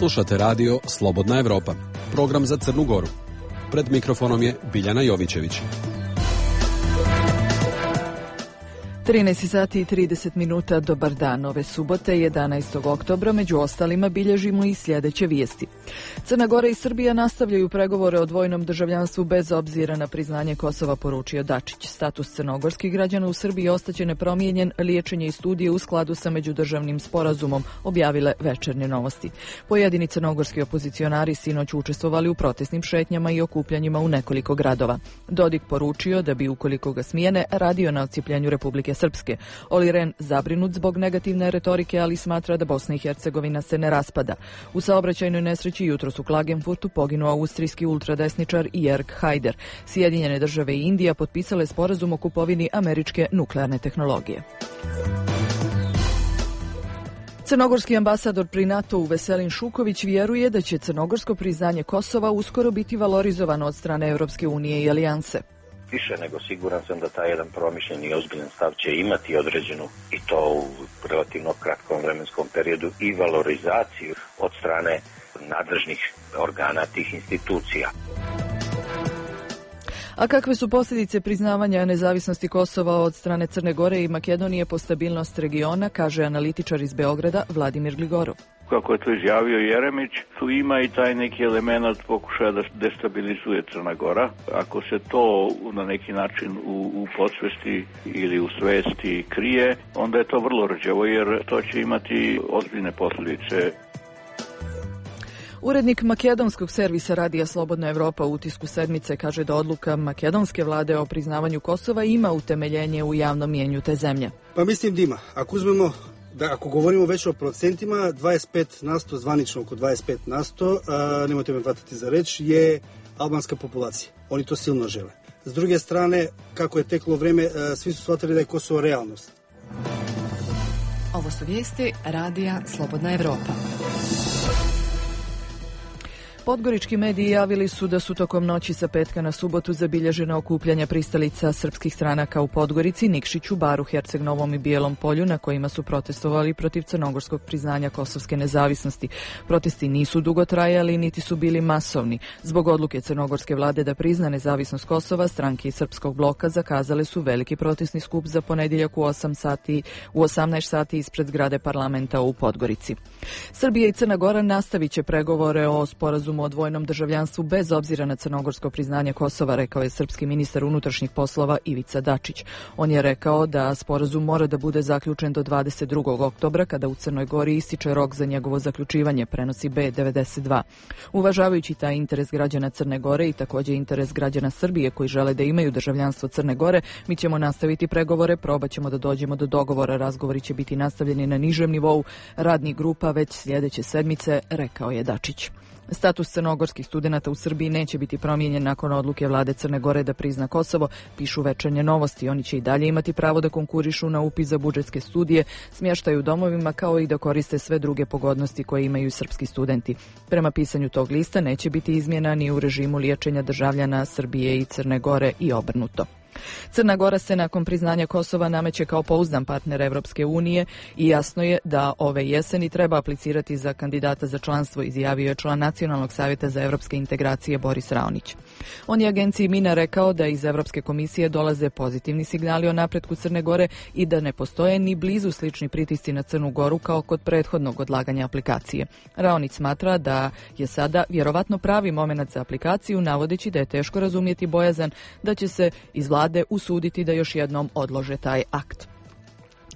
Slušate radio Slobodna Evropa, program za Crnu Goru. Pred mikrofonom je Biljana Jovićević. 13 sati i 30 minuta, dobar dan. Ove subote, 11. oktobra, među ostalima bilježimo i sljedeće vijesti. Crna Gora i Srbija nastavljaju pregovore o dvojnom državljanstvu bez obzira na priznanje Kosova, poručio Dačić. Status crnogorskih građana u Srbiji ostaće nepromijenjen, liječenje i studije u skladu sa međudržavnim sporazumom, objavile Večernje novosti. Pojedini crnogorski opozicionari sinoć učestvovali u protestnim šetnjama i okupljanjima u nekoliko gradova. Dodik poručio da bi, ukoliko ga smijene, radio na odcijepljenju Republike Srpske. Oli Rehn zabrinut zbog negativne retorike, ali smatra da Bosna i Hercegovina se ne raspada. U saobraćajnoj nesreći jutros u Klagenfurtu poginuo austrijski ultradesničar Jörg Haider. Sjedinjene države i Indija potpisale sporazum o kupovini američke nuklearne tehnologije. Crnogorski ambasador pri NATO-u Veselin Šuković vjeruje da će crnogorsko priznanje Kosova uskoro biti valorizovano od strane Europske unije i alijanse. Više nego siguran sam da taj jedan promišljeni i ozbiljan stav će imati određenu, i to u relativno kratkom vremenskom periodu, i valorizaciju od strane nadležnih organa tih institucija. A kakve su posljedice priznavanja nezavisnosti Kosova od strane Crne Gore i Makedonije po stabilnost regiona, kaže analitičar iz Beograda Vladimir Gligorov. Kako je to izjavio Jeremić, tu ima i taj neki element pokušaja da destabilizuje Crna Gora. Ako se to na neki način u podsvesti ili u svesti krije, onda je to vrlo rđavo, jer to će imati ozbiljne posljedice. Urednik makedonskog servisa radija Slobodna Evropa u utisku sedmice kaže da odluka makedonske vlade o priznavanju Kosova ima utemeljenje u javnom mnijenju te zemlje. Pa mislim da ima. Ako govorimo već o procentima, 25%, zvanično oko 25%, nemojte me hvatati za reč, je albanska populacija. Oni to silno žele. S druge strane, kako je teklo vreme, svi su shvatili da je Kosovo realnost. Ovo su vijesti radija Slobodna Evropa. Podgorički mediji javili su da su tokom noći sa petka na subotu zabilježena okupljanja pristalica srpskih stranaka u Podgorici, Nikšiću, Baru, Herceg Novom i Bijelom Polju, na kojima su protestovali protiv crnogorskog priznanja kosovske nezavisnosti. Protesti nisu dugo trajali, niti su bili masovni. Zbog odluke crnogorske vlade da prizna nezavisnost Kosova, stranke iz srpskog bloka zakazale su veliki protestni skup za ponedjeljak u 18 sati ispred zgrade parlamenta u Podgorici. Srbija i Crna Gora nastavit će pregovore o sporazumu o dvojnom državljanstvu bez obzira na crnogorsko priznanje Kosova, rekao je srpski ministar unutrašnjih poslova Ivica Dačić. On je rekao da sporazum mora da bude zaključen do 22. oktobra, kada u Crnoj Gori ističe rok za njegovo zaključivanje, prenosi B92. Uvažavajući taj interes građana Crne Gore i također interes građana Srbije koji žele da imaju državljanstvo Crne Gore, mi ćemo nastaviti pregovore, probat ćemo da dođemo do dogovora, razgovori će biti nastavljeni na nižem nivou radnih grupa već sljedeće sedmice, rekao je Dačić. Status crnogorskih studenata u Srbiji neće biti promijenjen nakon odluke vlade Crne Gore da prizna Kosovo, pišu Večernje novosti. Oni će i dalje imati pravo da konkurišu na upis za budžetske studije, smještaju u domovima, kao i da koriste sve druge pogodnosti koje imaju i srpski studenti. Prema pisanju tog lista neće biti izmjena ni u režimu liječenja državljana Srbije i Crne Gore i obrnuto. Crna Gora se nakon priznanja Kosova nameće kao pouzdan partner Evropske unije i jasno je da ove jeseni treba aplicirati za kandidata za članstvo, izjavio je član Nacionalnog savjeta za evropske integracije Boris Raonić. On je agenciji Mina rekao da iz Evropske komisije dolaze pozitivni signali o napretku Crne Gore i da ne postoje ni blizu slični pritisci na Crnu Goru kao kod prethodnog odlaganja aplikacije. Raonić smatra da je sada vjerovatno pravi moment za aplikaciju, navodeći da je teško razumjeti bojazan da će se iz vlade usuditi da još jednom odlože taj akt.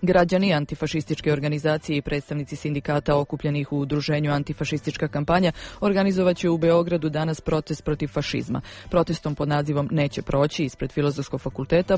Građani, antifašističke organizacije i predstavnici sindikata okupljenih u udruženju Antifašistička kampanja organizovat će u Beogradu danas protest protiv fašizma. Protestom pod nazivom Neće proći ispred Filozofskog fakulteta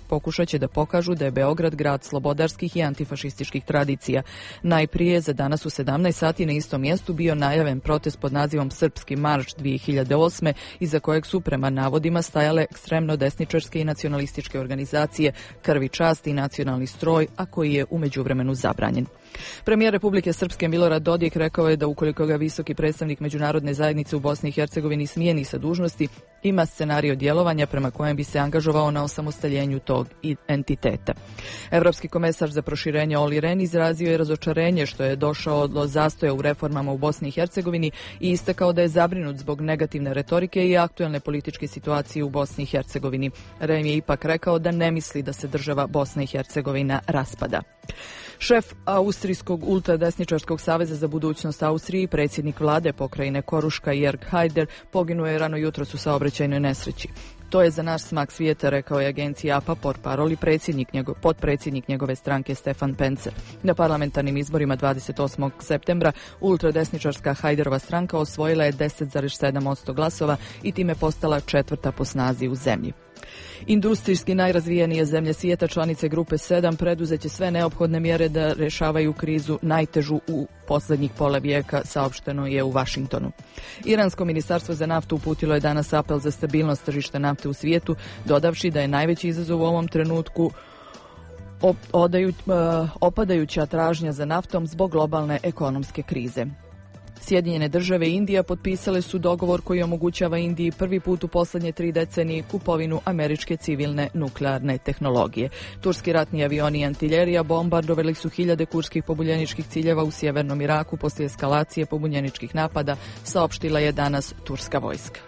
pokušat će da pokažu da je Beograd grad slobodarskih i antifašističkih tradicija. Najprije za danas u 17 sati na istom mjestu bio najaven protest pod nazivom Srpski marš 2008. iza kojeg su prema navodima stajale ekstremno desničarske i nacionalističke organizacije Krv i čast i Nacionalni stroj, a koji je u međuvremenu zabranjen. Premijer Republike Srpske Milorad Dodik rekao je da ukoliko ga visoki predstavnik međunarodne zajednice u Bosni i Hercegovini smijeni sa dužnosti, ima scenario djelovanja prema kojem bi se angažovao na osamostaljenju tog entiteta. Evropski komesar za proširenje Olli Rehn izrazio je razočarenje što je došao do zastoja u reformama u Bosni i Hercegovini i istakao da je zabrinut zbog negativne retorike i aktuelne političke situacije u Bosni i Hercegovini. Rehn je ipak rekao da ne misli da se država Bosna i Hercegovina raspada. Šef Austrijskog ultradesničarskog saveza za budućnost Austrije i predsjednik vlade pokrajine Koruška Jörg Haider poginuo je rano jutros u saobraćajnoj nesreći. To je za naš smak svijeta, rekao je agencija APA portparol i potpredsjednik njegove stranke Stefan Pencer. Na parlamentarnim izborima 28. septembra ultradesničarska Haiderova stranka osvojila je 10,7% glasova i time postala četvrta po snazi u zemlji. Industrijski najrazvijenije zemlje svijeta, članice grupe 7, preduzeće sve neophodne mjere da rješavaju krizu najtežu u posljednjih pola vijeka, saopšteno je u Vašingtonu. Iransko ministarstvo za naftu uputilo je danas apel za stabilnost tržišta nafte u svijetu, dodavši da je najveći izazov u ovom trenutku opadajuća tražnja za naftom zbog globalne ekonomske krize. Sjedinjene države i Indija potpisale su dogovor koji omogućava Indiji prvi put u posljednje 3 decenije kupovinu američke civilne nuklearne tehnologije. Turski ratni avioni i artiljerija bombardovali su hiljade kurskih pobunjeničkih ciljeva u sjevernom Iraku poslije eskalacije pobunjeničkih napada, saopštila je danas turska vojska.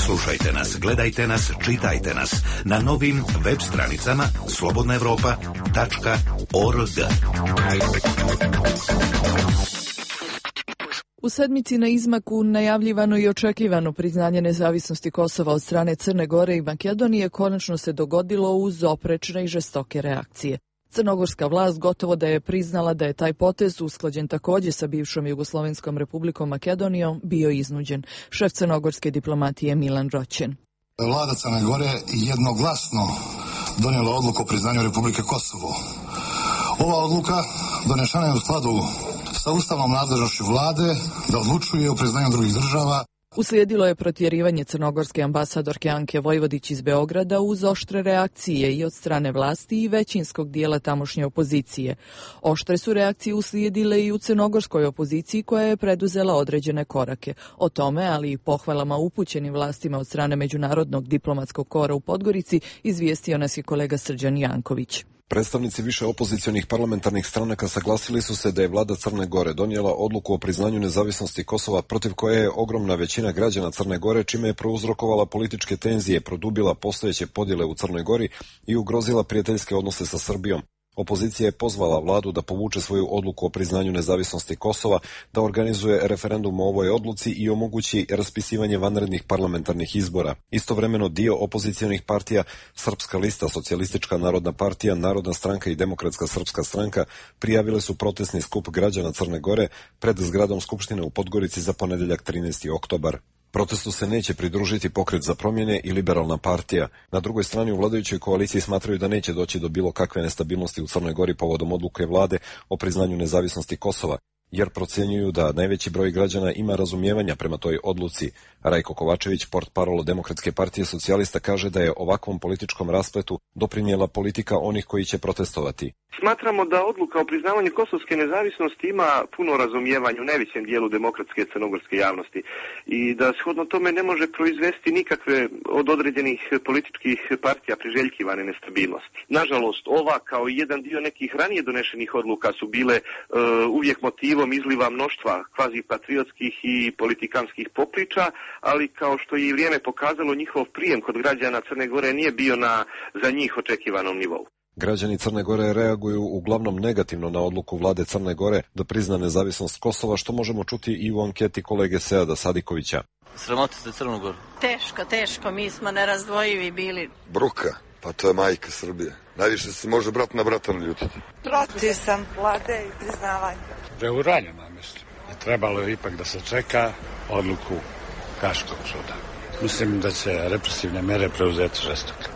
Slušajte nas, gledajte nas, čitajte nas na novim web stranicama slobodnaevropa.org. U sedmici na izmaku najavljivano i očekivano priznanje nezavisnosti Kosova od strane Crne Gore i Makedonije konačno se dogodilo uz oprečne i žestoke reakcije. Crnogorska vlast gotovo da je priznala da je taj potez, usklađen također sa bivšom Jugoslovenskom republikom Makedonijom, bio iznuđen. Šef crnogorske diplomatije Milan Roćen. Vlada Crne Gore jednoglasno donijela odluku o priznanju Republike Kosovo. Ova odluka donešena je u skladu sa ustavnom nadležnošću vlade da odlučuje o priznanju drugih država. Uslijedilo je protjerivanje crnogorske ambasadorke Anke Vojvodić iz Beograda uz oštre reakcije i od strane vlasti i većinskog dijela tamošnje opozicije. Oštre su reakcije uslijedile i u crnogorskoj opoziciji koja je preduzela određene korake. O tome, ali i pohvalama upućenim vlastima od strane Međunarodnog diplomatskog kora u Podgorici, izvijestio nas je kolega Srđan Janković. Predstavnici više opozicionih parlamentarnih stranaka saglasili su se da je vlada Crne Gore donijela odluku o priznanju nezavisnosti Kosova, protiv koje je ogromna većina građana Crne Gore, čime je prouzrokovala političke tenzije, produbila postojeće podjele u Crnoj Gori i ugrozila prijateljske odnose sa Srbijom. Opozicija je pozvala vladu da povuče svoju odluku o priznanju nezavisnosti Kosova, da organizuje referendum o ovoj odluci i omogući raspisivanje vanrednih parlamentarnih izbora. Istovremeno dio opozicionih partija, Srpska lista, Socijalistička narodna partija, Narodna stranka i Demokratska srpska stranka prijavile su protestni skup građana Crne Gore pred zgradom Skupštine u Podgorici za ponedjeljak 13. oktobar. Protestu se neće pridružiti Pokret za promjene i Liberalna partija. Na drugoj strani u vladajućoj koaliciji smatraju da neće doći do bilo kakve nestabilnosti u Crnoj Gori povodom odluke vlade o priznanju nezavisnosti Kosova, jer procjenjuju da najveći broj građana ima razumijevanja prema toj odluci. Rajko Kovačević, portparol Demokratske partije socijalista, kaže da je ovakvom političkom raspletu doprinijela politika onih koji će protestovati. Smatramo da odluka o priznavanju kosovske nezavisnosti ima puno razumijevanja u najvećem dijelu demokratske crnogorske javnosti i da shodno tome ne može proizvesti nikakve od određenih političkih partija priželjkivane nestabilnosti. Nažalost, ova kao i jedan dio nekih ranije donešenih odluka su bile uvijek motivom izliva mnoštva kvazi patriotskih i politikanskih popriča, ali kao što je i vrijeme pokazalo, njihov prijem kod građana Crne Gore nije bio na za njih očekivanom nivou. Građani Crne Gore reaguju uglavnom negativno na odluku vlade Crne Gore da prizna nezavisnost Kosova, što možemo čuti i u anketi kolege Seada Sadikovića. Sramoti se Crnu Goru? Teško, mi smo nerazdvojivi bili. Bruka, pa to je majka Srbije. Najviše se može brat na brata naljutiti. Protiv sam vlade i priznavanja. Preuranjeno, mislim. Trebalo je ipak da se čeka odluku Haškog suda. Mislim da će represivne mere preuzeti žestoke.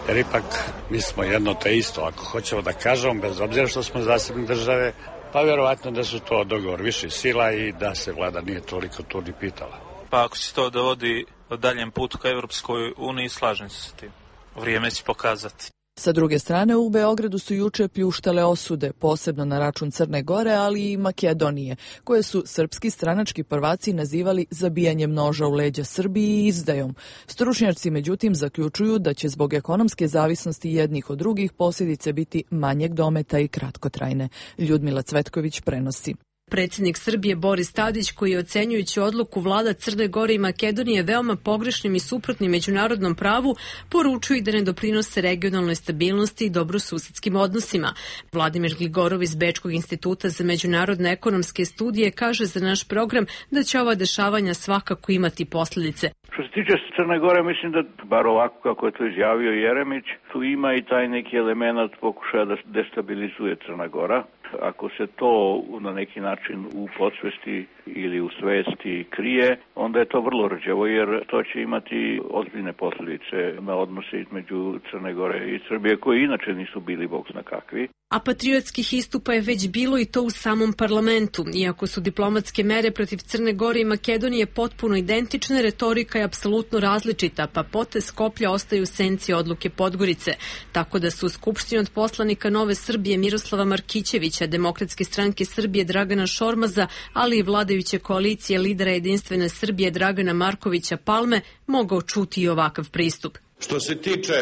Jer ipak mi smo jedno te isto, ako hoćemo da kažemo, bez obzira što smo zasebne države, pa vjerovatno da su to dogovor viših sila i da se vlada nije toliko tu ni pitala. Pa ako se to dovodi o daljem putu ka Evropskoj uniji, slažem se s tim. Vrijeme će pokazati. Sa druge strane, u Beogradu su juče pljuštale osude, posebno na račun Crne Gore, ali i Makedonije, koje su srpski stranački prvaci nazivali zabijanjem noža u leđa Srbiji i izdajom. Stručnjaci, međutim, zaključuju da će zbog ekonomske zavisnosti jednih od drugih posljedice biti manjeg dometa i kratkotrajne. Ljudmila Cvetković prenosi. Predsjednik Srbije Boris Tadić, koji je ocenjujući odluku vlada Crne Gore i Makedonije veoma pogrešnim i suprotnim međunarodnom pravu, poručuju da ne doprinose regionalnoj stabilnosti i dobrosusedskim odnosima. Vladimir Gligorov iz Bečkog instituta za međunarodne ekonomske studije kaže za naš program da će ova dešavanja svakako imati posljedice. Što se tiče Crne Gore, mislim da, bar ovako kako je to izjavio Jeremić, tu ima i taj neki element pokušaja da destabilizuje Crna Gora. Ako se to na neki način u podsvesti ili u svesti krije, onda je to vrlo rđavo, jer to će imati ozbiljne posljedice na odnose između Crne Gore i Srbije, koji inače nisu bili bog zna kakvi. A patriotskih istupa je već bilo i to u samom parlamentu. Iako su diplomatske mere protiv Crne Gore i Makedonije potpuno identične, retorika je apsolutno različita, pa potez Skoplja ostaju u senci odluke Podgorice. Tako da su u Skupštini od poslanika Nove Srbije Miroslava Markićevića, Demokratske stranke Srbije Dragana Šormaza, ali i vladajuće koalicije lidera Jedinstvene Srbije Dragana Markovića Palme mogao čuti i ovakav pristup. Što se tiče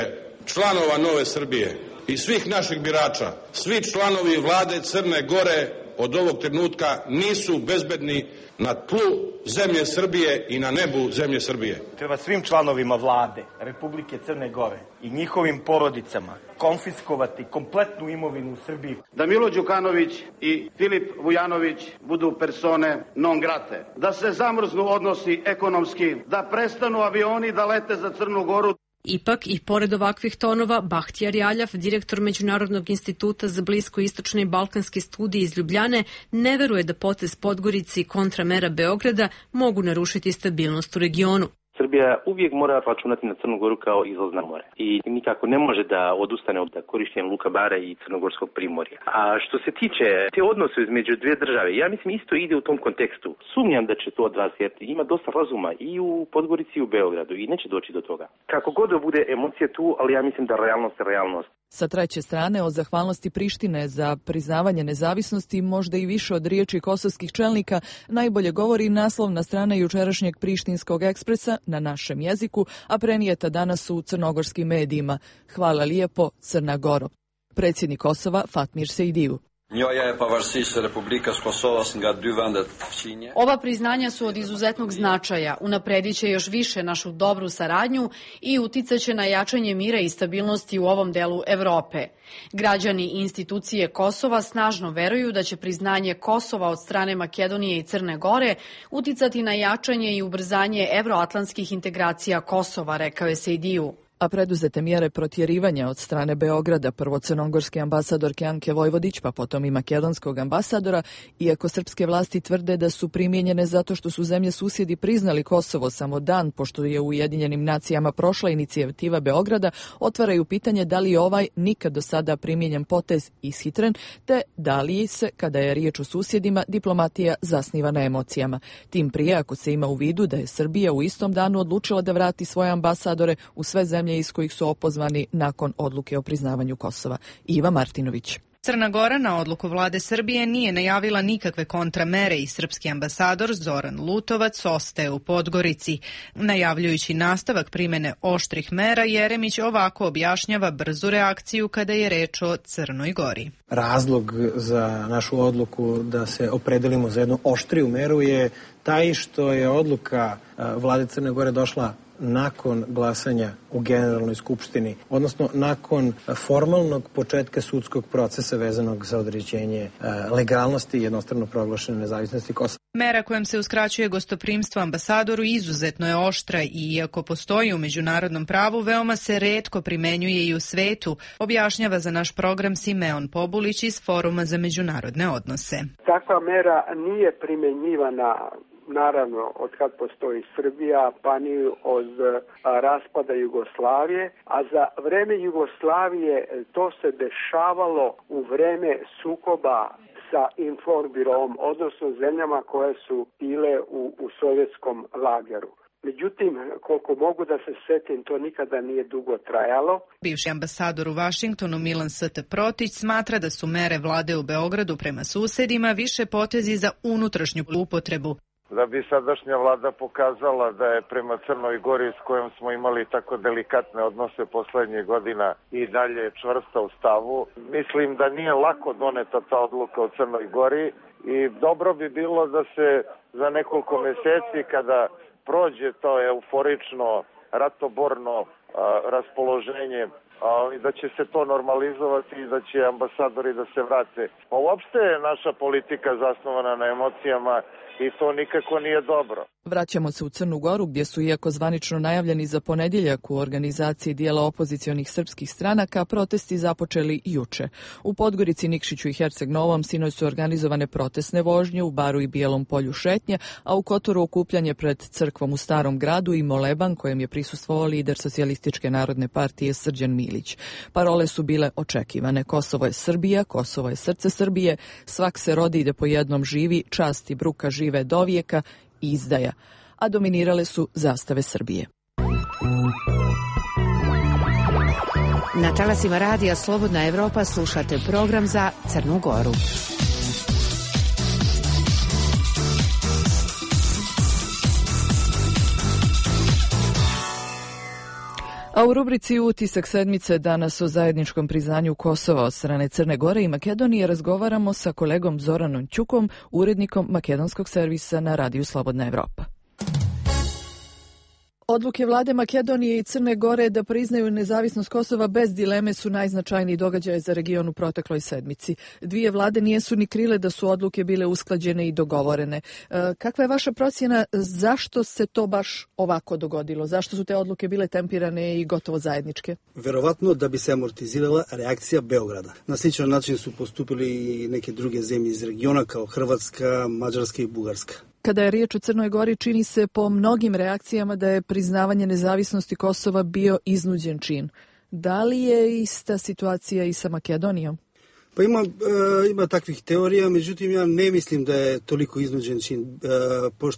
članova Nove Srbije i svih naših birača, svi članovi vlade Crne Gore od ovog trenutka nisu bezbedni na tlu zemlje Srbije i na nebu zemlje Srbije. Treba svim članovima vlade Republike Crne Gore i njihovim porodicama konfiskovati kompletnu imovinu u Srbiji. Da Milo Đukanović i Filip Vujanović budu persone non grate. Da se zamrznu odnosi ekonomski, da prestanu avioni da lete za Crnu Goru. Ipak, i pored ovakvih tonova, Bahtijar Jaljav, direktor Međunarodnog instituta za bliskoistočne i balkanske studije iz Ljubljane, ne veruje da potez Podgorice i kontramera Beograda mogu narušiti stabilnost u regionu. Srbija uvijek mora računati na Crnu Goru kao izlaz na more i nikako ne može da odustane od korištenja Luka Bara i Crnogorskog primorja. A što se tiče te odnose između dvije države, ja mislim isto ide u tom kontekstu. Sumnjam da će to odrasti jer ima dosta razuma i u Podgorici i u Beogradu i neće doći do toga. Kako god da bude emocija tu, ali ja mislim da realnost je realnost. Sa treće strane, o zahvalnosti Prištine za priznavanje nezavisnosti, možda i više od riječi kosovskih čelnika, najbolje govori naslovna strana jučerašnjeg Prištinskog ekspresa na našem jeziku, a prenijeta danas u crnogorskim medijima. Hvala lijepo, Crna Goro. Predsjednik Kosova Fatmir Sejdiju. Ova priznanja su od izuzetnog značaja, unapredit će još više našu dobru saradnju i uticat će na jačanje mira i stabilnosti u ovom delu Evrope. Građani i institucije Kosova snažno veruju da će priznanje Kosova od strane Makedonije i Crne Gore uticati na jačanje i ubrzanje evroatlantskih integracija Kosova, rekao je Sejdiju. A preduzete mjere protjerivanja od strane Beograda, prvo crnogorske ambasadorke Anke Vojvodić, pa potom i makedonskog ambasadora, iako srpske vlasti tvrde da su primijenjene zato što su zemlje susjedi priznali Kosovo samo dan pošto je u Ujedinjenim nacijama prošla inicijativa Beograda, otvaraju pitanje da li je ovaj nikad do sada primijenjen potez ishitren, te da li se, kada je riječ o susjedima, diplomatija zasniva na emocijama. Tim prije ako se ima u vidu da je Srbija u istom danu odlučila da vrati svoje ambasadore u sve zemlje iz kojih su opozvani nakon odluke o priznavanju Kosova. Iva Martinović. Crna Gora na odluku vlade Srbije nije najavila nikakve kontramere i srpski ambasador Zoran Lutovac ostaje u Podgorici. Najavljujući nastavak primjene oštrih mera, Jeremić ovako objašnjava brzu reakciju kada je reč o Crnoj Gori. Razlog za našu odluku da se opredelimo za jednu oštriju meru je taj što je odluka vlade Crne Gore došla nakon glasanja u Generalnoj skupštini, odnosno nakon formalnog početka sudskog procesa vezanog za određenje legalnosti i jednostrano proglašene nezavisnosti Kosova. Mera kojom se uskraćuje gostoprimstvo ambasadoru izuzetno je oštra i iako postoji u međunarodnom pravu, veoma se retko primenjuje i u svetu, objašnjava za naš program Simeon Pobulić iz Foruma za međunarodne odnose. Takva mera nije primjenjivana naravno od kad postoji Srbija, pa ni od raspada Jugoslavije, a za vreme Jugoslavije to se dešavalo u vreme sukoba sa Informbirom, odnosno zemljama koje su bile u sovjetskom lageru. Međutim, koliko mogu da se setim, to nikada nije dugo trajalo. Bivši ambasador u Vašingtonu Milan St. Protić smatra da su mere vlade u Beogradu prema susedima više potezi za unutrašnju upotrebu. Da bi sadašnja vlada pokazala da je prema Crnoj Gori, s kojom smo imali tako delikatne odnose poslednjih godina, i dalje čvrsta u stavu. Mislim da nije lako doneta ta odluka u Crnoj Gori i dobro bi bilo da se za nekoliko meseci, kada prođe to euforično, ratoborno raspoloženje, da će se to normalizovati i da će ambasadori da se vrate. Uopšte je naša politika zasnovana na emocijama i to nikako nije dobro. Vraćamo se u Crnu Goru, gdje su, iako zvanično najavljeni za ponedjeljak u organizaciji dijela opozicionih srpskih stranaka, protesti započeli juče. U Podgorici, Nikšiću i Herceg Novom sinoć su organizovane protestne vožnje, u Baru i Bijelom Polju šetnje, a u Kotoru okupljanje pred crkvom u Starom gradu i moleban kojem je prisustvovao lider Socijalističke narodne partije Srđan Milić. Parole su bile očekivane. Kosovo je Srbija, Kosovo je srce Srbije, svak se rodi i da po jednom živi, čast i bruka žive dovijeka, izdaja, a dominirale su zastave Srbije. Na talasima radija Slobodna Evropa slušate program za Crnu Goru. A u rubrici Utisak sedmice danas o zajedničkom priznanju Kosova od strane Crne Gore i Makedonije razgovaramo sa kolegom Zoranom Ćukom, urednikom makedonskog servisa na radiju Slobodna Evropa. Odluke vlade Makedonije i Crne Gore da priznaju nezavisnost Kosova bez dileme su najznačajniji događaj za region u protekloj sedmici. Dvije vlade nijesu ni krile da su odluke bile usklađene i dogovorene. Kakva je vaša procjena, zašto se to baš ovako dogodilo? Zašto su te odluke bile tempirane i gotovo zajedničke? Verovatno da bi se amortizirala reakcija Beograda. Na sličan način su postupili i neke druge zemlje iz regiona kao Hrvatska, Mađarska i Bugarska. Kada je riječ o Crnoj Gori, čini se po mnogim reakcijama da je priznavanje nezavisnosti Kosova bio iznuđen čin. Da li je ista situacija i sa Makedonijom? Pa ima takvih teorija, međutim ja ne mislim da je toliko iznuđen čin,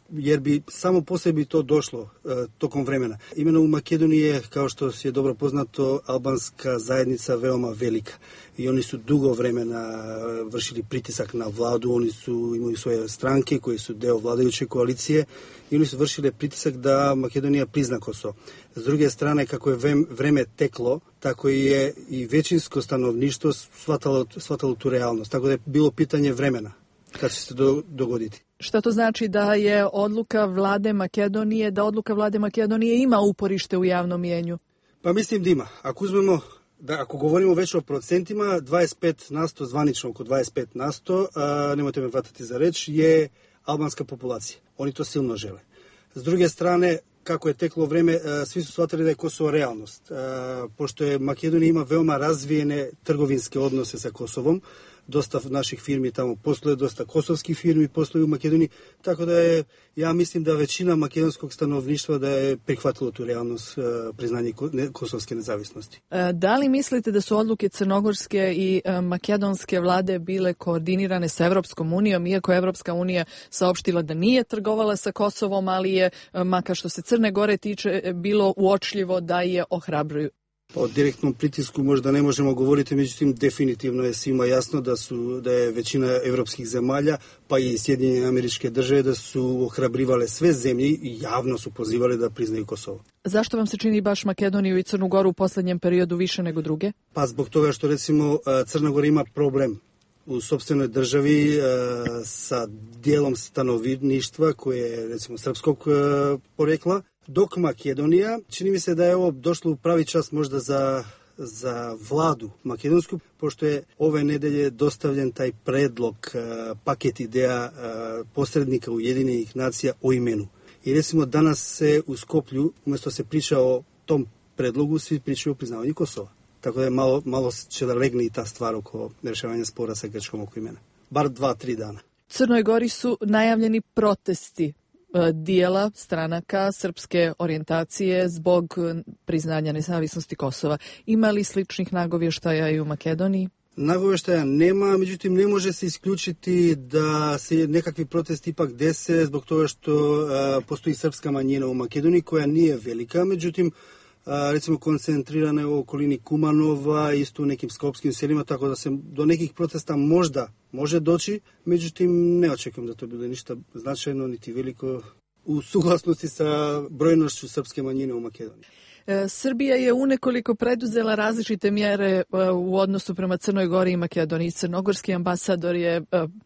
jer bi samo po sebi to došlo tokom vremena. Imeno u Makedoniji je, kao što je dobro poznato, albanska zajednica veoma velika i oni su dugo vremena vršili pritisak na vladu, oni su imali svoje stranke koje su deo vladajuće koalicije i oni su vršili pritisak da Makedonija prizna Kosovo. S druge strane, kako je vreme teklo, tako je i većinsko stanovništvo shvatalo tu realnost. Tako da je bilo pitanje vremena kad će se dogoditi. Šta to znači da je odluka vlade Makedonije ima uporište u javnom mnijenju? Pa mislim da ima. Ako govorimo već o procentima, 25%, zvanično oko 25%, nemojte me hvatati za reč, je albanska populacija. Oni to silno žele. S druge strane, kako je teklo vreme, svi su shvatili da je Kosovo realnost. Pošto je Makedonija ima veoma razvijene trgovinske odnose sa Kosovom, dosta naših firmi tamo posluje, dosta kosovskih firmi posluju u Makedoniji, tako da je, ja mislim da većina makedonskog stanovništva da je prihvatilo tu realnost priznanje kosovske nezavisnosti. Da li mislite da su odluke crnogorske i makedonske vlade bile koordinirane sa Evropskom unijom, iako je Evropska unija saopštila da nije trgovala sa Kosovom, ali je, makar što se Crne Gore tiče, bilo uočljivo da je ohrabruju? O direktnom pritisku možda ne možemo govoriti, međutim definitivno je svima jasno da je većina evropskih zemalja, pa i Sjedinjene Američke Države, da su ohrabrivale sve zemlje i javno su pozivale da priznaju Kosovo. Zašto vam se čini baš Makedoniju i Crnu Goru u posljednjem periodu više nego druge? Pa zbog toga što recimo Crna Gora ima problem u sopstvenoj državi sa dijelom stanovništva koje je recimo srpskog porekla, dok Makedonija, čini mi se da je ovo došlo u pravi čas možda za vladu makedonsku, pošto je ove nedelje dostavljen taj predlog, paket ideja posrednika Ujedinjenih nacija o imenu. I recimo danas se u Skoplju, umjesto se priča o tom predlogu, svi pričaju o priznavanju Kosova. Tako da je malo će da legne i ta stvar oko rješavanja spora sa Grčkom oko imena. Bar 2-3 dana. Crnoj Gori su najavljeni protesti dijela stranaka srpske orijentacije zbog priznanja nezavisnosti Kosova. Ima li sličnih nagovještaja i u Makedoniji? Nagoveštaja nema, međutim ne može se isključiti da se nekakvi protesti ipak dese zbog toga što postoji srpska manjina u Makedoniji koja nije velika, međutim recimo koncentrirana je u okolini Kumanova, isto u nekim skopskim selima, tako da se do nekih protesta možda može doći, međutim ne očekujem da to bude ništa značajno niti veliko u suglasnosti sa brojnošću srpske manjine u Makedoniji. Srbija je unekoliko preduzela različite mjere u odnosu prema Crnoj Gori i Makedoniji. Crnogorski ambasador je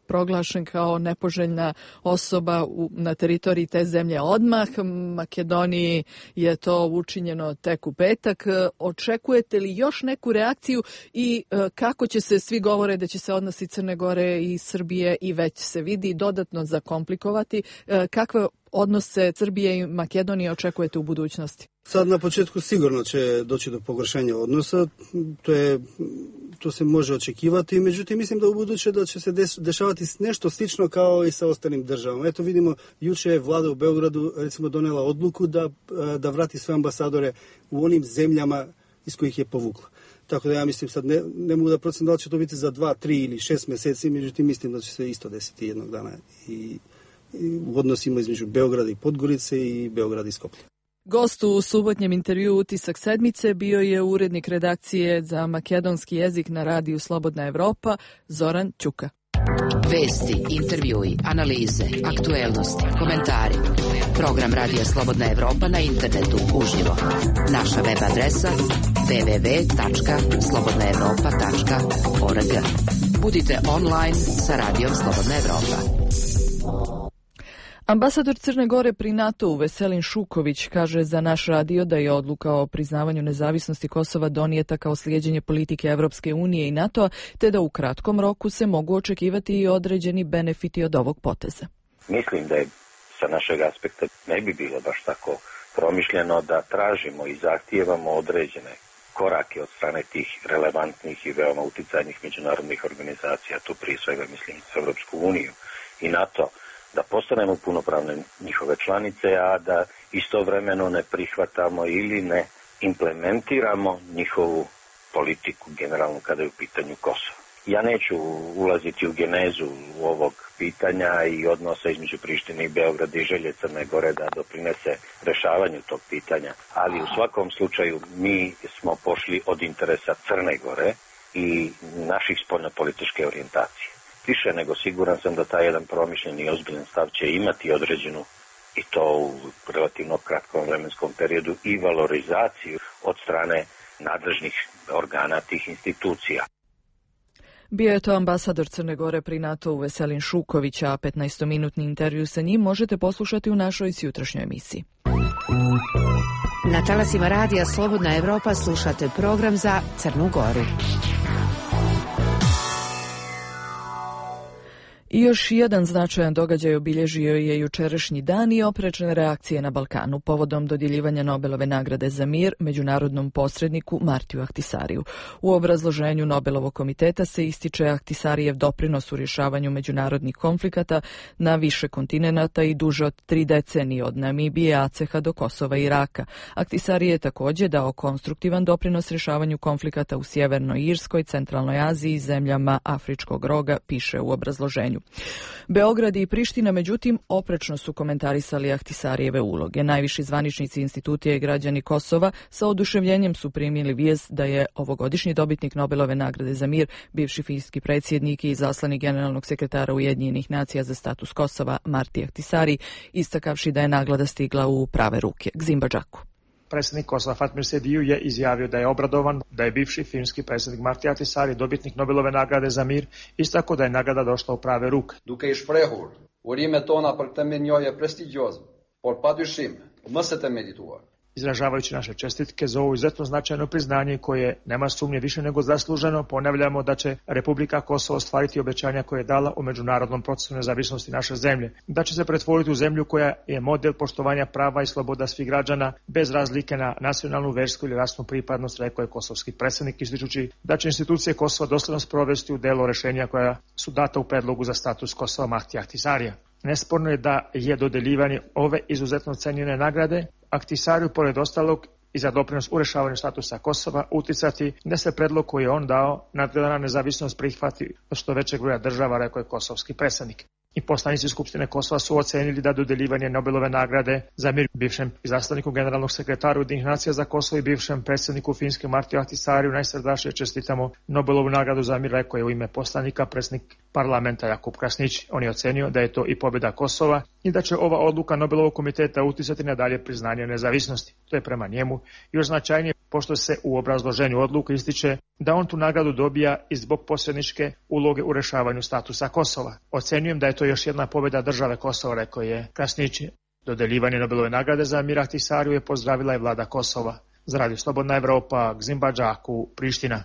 proglašen kao nepoželjna osoba na teritoriji te zemlje odmah. Makedoniji je to učinjeno tek u petak. Očekujete li još neku reakciju i kako će se, svi govore da će se odnosi Crne Gore i Srbije i već se vidi dodatno zakomplikovati, kakve odnose Srbije i Makedonije očekujete u budućnosti? Sad na početku sigurno će doći do pogoršanja odnosa, to se može očekivati, međutim mislim da u buduće da će se dešavati nešto slično kao i sa ostalim državama. Eto vidimo, juče je vlada u Beogradu recimo donela odluku da vrati sve ambasadore u onim zemljama iz kojih je povukla. Tako da ja mislim sad ne mogu da procenim da li će to biti za 2, 3 ili 6 meseci, međutim mislim da će se isto desiti jednog dana i u odnosima između Beograda i Podgorice i Beograda i Skoplja. Gost u subotnjem intervju Utisak sedmice bio je urednik redakcije za makedonski jezik na radiju Slobodna Evropa, Zoran Ćuka. Vesti, intervjui, analize, aktuelnosti, komentari. Program Radija Slobodna Evropa na internetu uživo. Naša web adresa www.slobodnaevropa.org. Budite online sa Radijom Slobodna Evropa. Ambasador Crne Gore pri NATO-u Veselin Šuković kaže za naš radio da je odluka o priznavanju nezavisnosti Kosova donijeta kao slijeđenje politike Evropske unije i NATO-a, te da u kratkom roku se mogu očekivati i određeni benefiti od ovog poteza. Mislim da je sa našeg aspekta ne bi bilo baš tako promišljeno da tražimo i zahtijevamo određene korake od strane tih relevantnih i veoma uticajnih međunarodnih organizacija, tu prije svega mislim Evropsku uniju i NATO, da postanemo punopravne njihove članice, a da istovremeno ne prihvatamo ili ne implementiramo njihovu politiku generalno kada je u pitanju Kosovo. Ja neću ulaziti u genezu ovog pitanja i odnosa između Prištine i Beograda i želje Crne Gore da doprinese rešavanju tog pitanja, ali u svakom slučaju mi smo pošli od interesa Crne Gore i naših spoljnopolitičke orijentacije. Više nego siguran sam da taj jedan promišljen i ozbiljan stav će imati određenu, i to u relativno kratkom vremenskom periodu, i valorizaciju od strane nadležnih organa tih institucija. Bio je to ambasador Crne Gore pri NATO-u Veselin Šuković, a 15-minutni intervju sa njim možete poslušati u našoj sjutrašnjoj emisiji. Na talasima Radija Slobodna Evropa slušate program za Crnu Goru. I još jedan značajan događaj obilježio je jučerašnji dan i oprečne reakcije na Balkanu povodom dodjeljivanja Nobelove nagrade za mir međunarodnom posredniku Martiju Ahtisariju. U obrazloženju Nobelovog komiteta se ističe Ahtisarijev doprinos u rješavanju međunarodnih konflikata na više kontinenata i duže od 3 decenije, od Namibije, Aceha do Kosova i Iraka. Ahtisari je također dao konstruktivan doprinos rješavanju konflikata u Sjevernoj Irskoj, Centralnoj Aziji i zemljama Afričkog roga, piše u obrazloženju. Beograd i Priština, međutim, oprečno su komentarisali Ahtisarijeve uloge. Najviši zvaničnici institucija i građani Kosova sa oduševljenjem su primili vijest da je ovogodišnji dobitnik Nobelove nagrade za mir, bivši finski predsjednik i izaslanik generalnog sekretara Ujedinjenih nacija za status Kosova Marti Ahtisari, istakavši da je nagrada stigla u prave ruke. Gzimba Džaku. Predsjednik Kosova Fatmir Sediju je izjavio da je obradovan da je bivši finski predsjednik Marti Ahtisari dobitnik Nobelove nagrade za mir, istako da je nagrada došla u prave ruke. Duke i shprehur, urimet tona për këtë mirënjohje prestigjioze, por padyshim mos e të merituar. Izražavajući naše čestitke za ovo izuzetno značajno priznanje koje nema sumnje više nego zasluženo, ponavljamo da će Republika Kosovo ostvariti obećanja koje je dala u međunarodnom procesu nezavisnosti naše zemlje, da će se pretvoriti u zemlju koja je model poštovanja prava i sloboda svih građana bez razlike na nacionalnu, versku ili rasnu pripadnost, rekao je kosovski predsjednik, ističući da će institucije Kosova dosledno sprovesti u delo rešenja koja su data u predlogu za status Kosova Martija Ahtisarija. Nesporno je da je dodeljivanje ove izuzetno cenjene nagrade Ahtisariju, pored ostalog, i za doprinos u rešavanju statusa Kosova uticati da se predlog koji je on dao nadgledana nezavisnost prihvati od što većeg broja država, rekao je kosovski predstavnik. I poslanici Skupštine Kosova su ocenili da dodeljivanje Nobelove nagrade za mir bivšem izaslaniku generalnog sekretara Ujedinjenih nacija za Kosovo i bivšem predsjedniku Finske Martiju Ahtisaariju najsrdačnije čestitamo Nobelovu nagradu za mir, rekao je u ime poslanika predsjednik parlamenta Jakub Krasnić. On je ocenio da je to i pobjeda Kosova i da će ova odluka Nobelovog komiteta uticati na dalje priznanje nezavisnosti. To je prema njemu još značajnije pošto se u obrazloženju odluke ističe da on tu nagradu dobija i zbog posredničke uloge u rešavanju statusa Kosova. Ocenjujem da je to još jedna pobjeda države Kosova, rekao je Krasnić. Dodeljivanje Nobelove nagrade za mir Ahtisaariju je pozdravila i vlada Kosova. Za Radio Slobodna Evropa, Gzim Badžaku, Priština.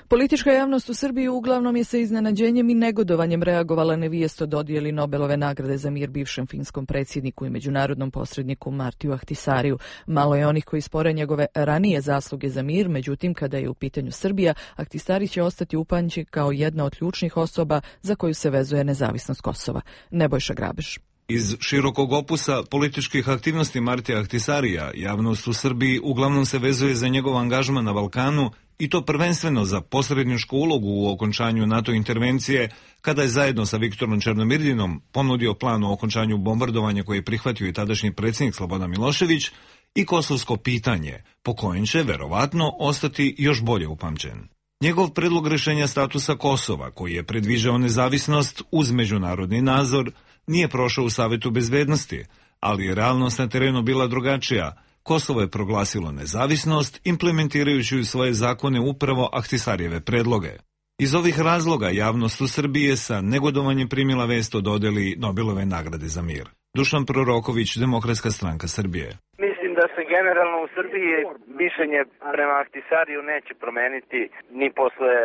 Politička javnost u Srbiji uglavnom je sa iznenađenjem i negodovanjem reagovala na vijest o dodjeli Nobelove nagrade za mir bivšem finskom predsjedniku i međunarodnom posredniku Martiju Ahtisaariju. Malo je onih koji spore njegove ranije zasluge za mir, međutim kada je u pitanju Srbija, Ahtisaari će ostati upamćen kao jedna od ključnih osoba za koju se vezuje nezavisnost Kosova. Nebojša Grabež. Iz širokog opusa političkih aktivnosti Martija Ahtisaarija, javnost u Srbiji uglavnom se vezuje za njegov angažman na Balkanu i to prvenstveno za posredničku ulogu u okončanju NATO intervencije, kada je zajedno sa Viktorom Černomyrdinom ponudio plan o okončanju bombardovanja koje je prihvatio i tadašnji predsjednik Slobodan Milošević i kosovsko pitanje, po kojem će verovatno ostati još bolje upamćen. Njegov predlog rješenja statusa Kosova, koji je predviđao nezavisnost uz međunarodni nadzor, nije prošao u Savetu bezbednosti, ali je realnost na terenu bila drugačija. Kosovo je proglasilo nezavisnost, implementirajući u svoje zakone upravo Ahtisaarijeve predloge. Iz ovih razloga javnost u Srbiji je sa negodovanjem primila vest o dodjeli Nobelove nagrade za mir. Dušan Proroković, Demokratska stranka Srbije. Mislim da se generalno u Srbiji mišljenje prema Ahtisaariju neće promeniti ni posle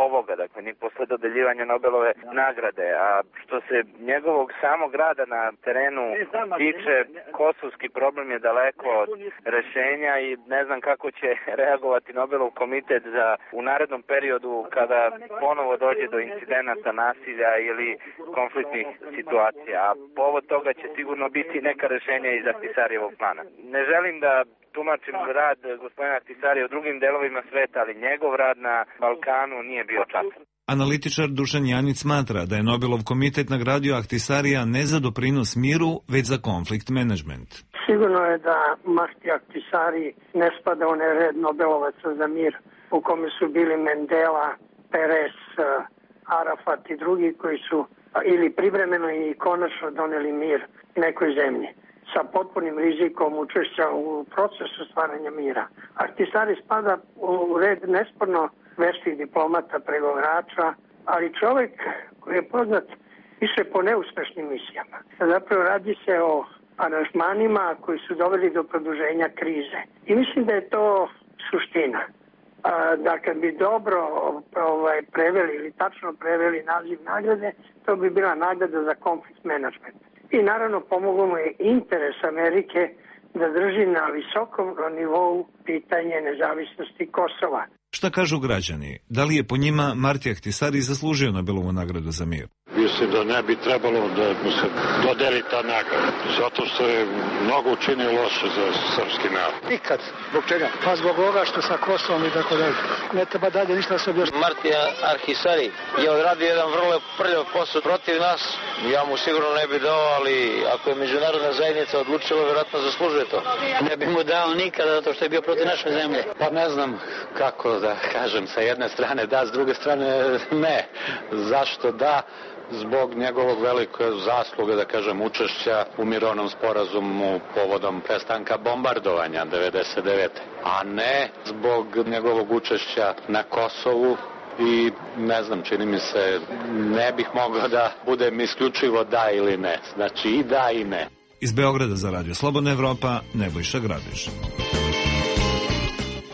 ovoga, dakle ni posle dodeljivanja Nobelove nagrade, a što se njegovog samog rada na terenu tiče, kosovski problem je daleko od rešenja i ne znam kako će reagovati Nobelov komitet u narednom periodu kada ponovo dođe do incidenata nasilja ili konfliktnih situacija, a povod toga će sigurno biti neka rešenja iz Ahtisaarijevog plana. Ne želim da tumačim rad gospodina Ahtisaarija u drugim delovima sveta, ali njegov rad na Balkanu nije bio častan. Analitičar Dušan Janić smatra da je Nobelov komitet nagradio Ahtisaarija ne za doprinos miru, već za konflikt menadžment. Sigurno je da Marti Ahtisaari ne spada u red Nobelovaca za mir, u kome su bili Mendela, Peres, Arafat i drugi koji su ili privremeno i konačno doneli mir nekoj zemlji sa potpunim rizikom učešća u procesu stvaranja mira. Ahtisaari spada u red nesporno veštih diplomata, pregovarača, ali čovjek koji je poznat više po neuspešnim misijama. Zapravo radi se o aranžmanima koji su doveli do produženja krize. I mislim da je to suština. Da kad bi dobro preveli ili tačno preveli naziv nagrade, to bi bila nagrada za konflikt menadžment. I naravno pomoglo mu je interes Amerike da drži na visokom nivou pitanje nezavisnosti Kosova. Šta kažu građani? Da li je po njima Marti Ahtisaari zaslužio Nobelovu nagradu za mir? Mislim da ne bi trebalo da mu se dodeli ta nagrada, zato što je mnogo učinio loše za srpski narod. Nikad. Zbog čega? Pa zbog ovoga što sa Kosovom i tako dalje. Ne treba dalje ništa se objašnjati. Marti Ahtisaari je odradio jedan vrlo prljav posao protiv nas. Ja mu sigurno ne bi dao, ali ako je međunarodna zajednica odlučila, vjerojatno zaslužuje to. Ne bi mu dao nikada zato što je bio protiv naše zemlje. Pa ne znam kako da kažem, sa jedne strane da, s druge strane ne. Zašto da? Zbog njegovog velike zasluge, da kažem, učešća u mirovnom sporazumu povodom prestanka bombardovanja 1999. A ne zbog njegovog učešća na Kosovu i ne znam, čini mi se, ne bih mogao da budem isključivo da ili ne. Znači i da i ne. Iz Beograda za Radio Slobodna Evropa, Nebojša Grabež.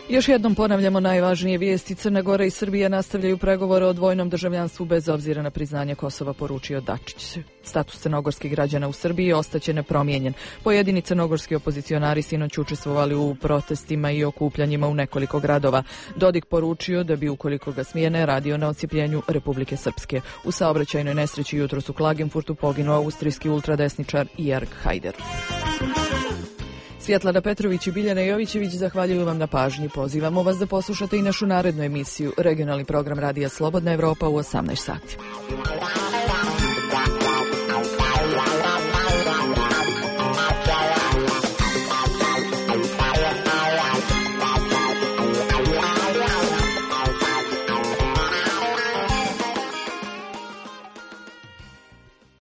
Još jednom ponavljamo najvažnije vijesti. Crna Gora i Srbija nastavljaju pregovore o dvojnom državljanstvu bez obzira na priznanje Kosova, poručio Dačić. Status crnogorskih građana u Srbiji ostaće nepromijenjen. Pojedini crnogorski opozicionari sinoć učestvovali u protestima i okupljanjima u nekoliko gradova. Dodik poručio da bi, ukoliko ga smijene, radio na odcijepljenju Republike Srpske. U saobraćajnoj nesreći jutros u Klagenfurtu poginuo austrijski ultradesničar Jörg Haider. Svjetlana Petrović i Biljana Jovićević zahvaljuju vam na pažnji. Pozivamo vas da poslušate i našu narednu emisiju, regionalni program Radija Slobodna Evropa u 18 sati.